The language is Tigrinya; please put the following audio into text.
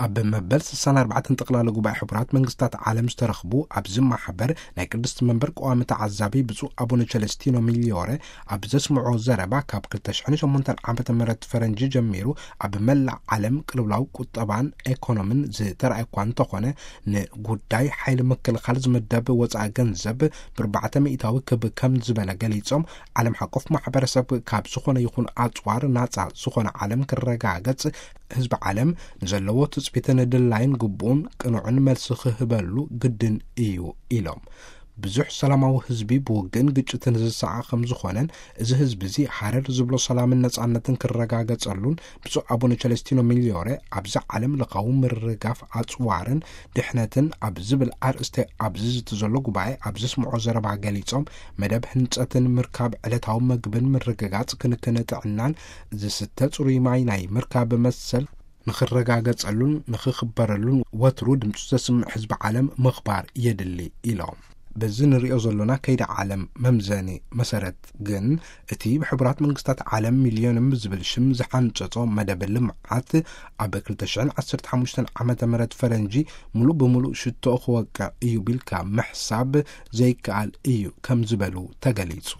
ኣብ መበል ስሳን ኣርባዕተን ጠቕላላ ጉባኤ ሕቡራት መንግስታት ዓለም ዝተረኽቡ ኣብዚ ማሕበር ናይ ቅድስቲ መንበር ቀዋሚ ተዓዛቢ ብፁዕ ኣቡነ ቸለስቲኖ ሚሊዮረ ኣብ ዘስምዖ ዘረባ፣ ካብ ክልተ ሽሕን ሸሞንተን ዓመተ ምህረት ፈረንጂ ጀሚሩ ኣብ መላእ ዓለም ቅልውላው ቁጠባን ኤኮኖምን ዝተረኣየ እኳ እንተኾነ፣ ንጉዳይ ሓይሊ ምክልኻል ዝምደብ ወፃኢ ገንዘብ ብርባዕተ ሚእታዊ ክብ ከም ዝበለ ገሊፆም፣ ዓለም ሓቆፍ ማሕበረሰብ ካብ ዝኾነ ይኹን ኣፅዋር ናፃ ዝኾነ ዓለም ክረጋገፅ፣ ህዝቢ ዓለም ንዘለዎ ትጽቢትን ድላይን ግቡኡን ቅኑዕን መልሲ ክህበሉ ግድን እዩ ኢሎም። ብዙሕ ሰላማዊ ህዝቢ ብውግእን ግጭትን ዝሰዓ ከም ዝኾነን፣ እዚ ህዝቢ እዚ ሃረር ዝብሎ ሰላምን ነጻነትን ክረጋገጸሉን ብፁዕ ኣቡነ ቸለስቲኖ ሚሊዮሬ ኣብዚ ዓለም ለኻዊ ምርጋፍ ኣጽዋርን ድሕነትን ኣብ ዝብል ኣርእስቲ ኣብዚ ዝቲ ዘሎ ጉባኤ ኣብ ዘስምዖ ዘረባ ገሊጾም፣ መደብ ህንጸትን ምርካብ ዕለታዊ መግብን ምርግጋጽ ክንክን ጥዕናን ዝስተ ጽሩይ ማይ ናይ ምርካብ መሰል ንኽረጋገጸሉን ንኽኽበረሉን ወትሩ ድምፁ ዘስምዕ ህዝቢ ዓለም ምኽባር የድሊ ኢሎም። በዚ ንሪኦ ዘሎና ከይዲ ዓለም መምዘኒ መሰረት ግን፣ እቲ ብሕቡራት መንግስታት ዓለም ሚልዮንም ብዝብል ሽም ዝሓንጸጾ መደብ ልምዓት ኣብ ክልተ ሽሕን ዓሰርተ ሓሙሽተን ዓመተ ምህረት ፈረንጂ ሙሉእ ብሙሉእ ሽቶኡ ክወቅዕ እዩ ቢልካ ምሕሳብ ዘይከኣል እዩ ከም ዝበሉ ተገሊጹ።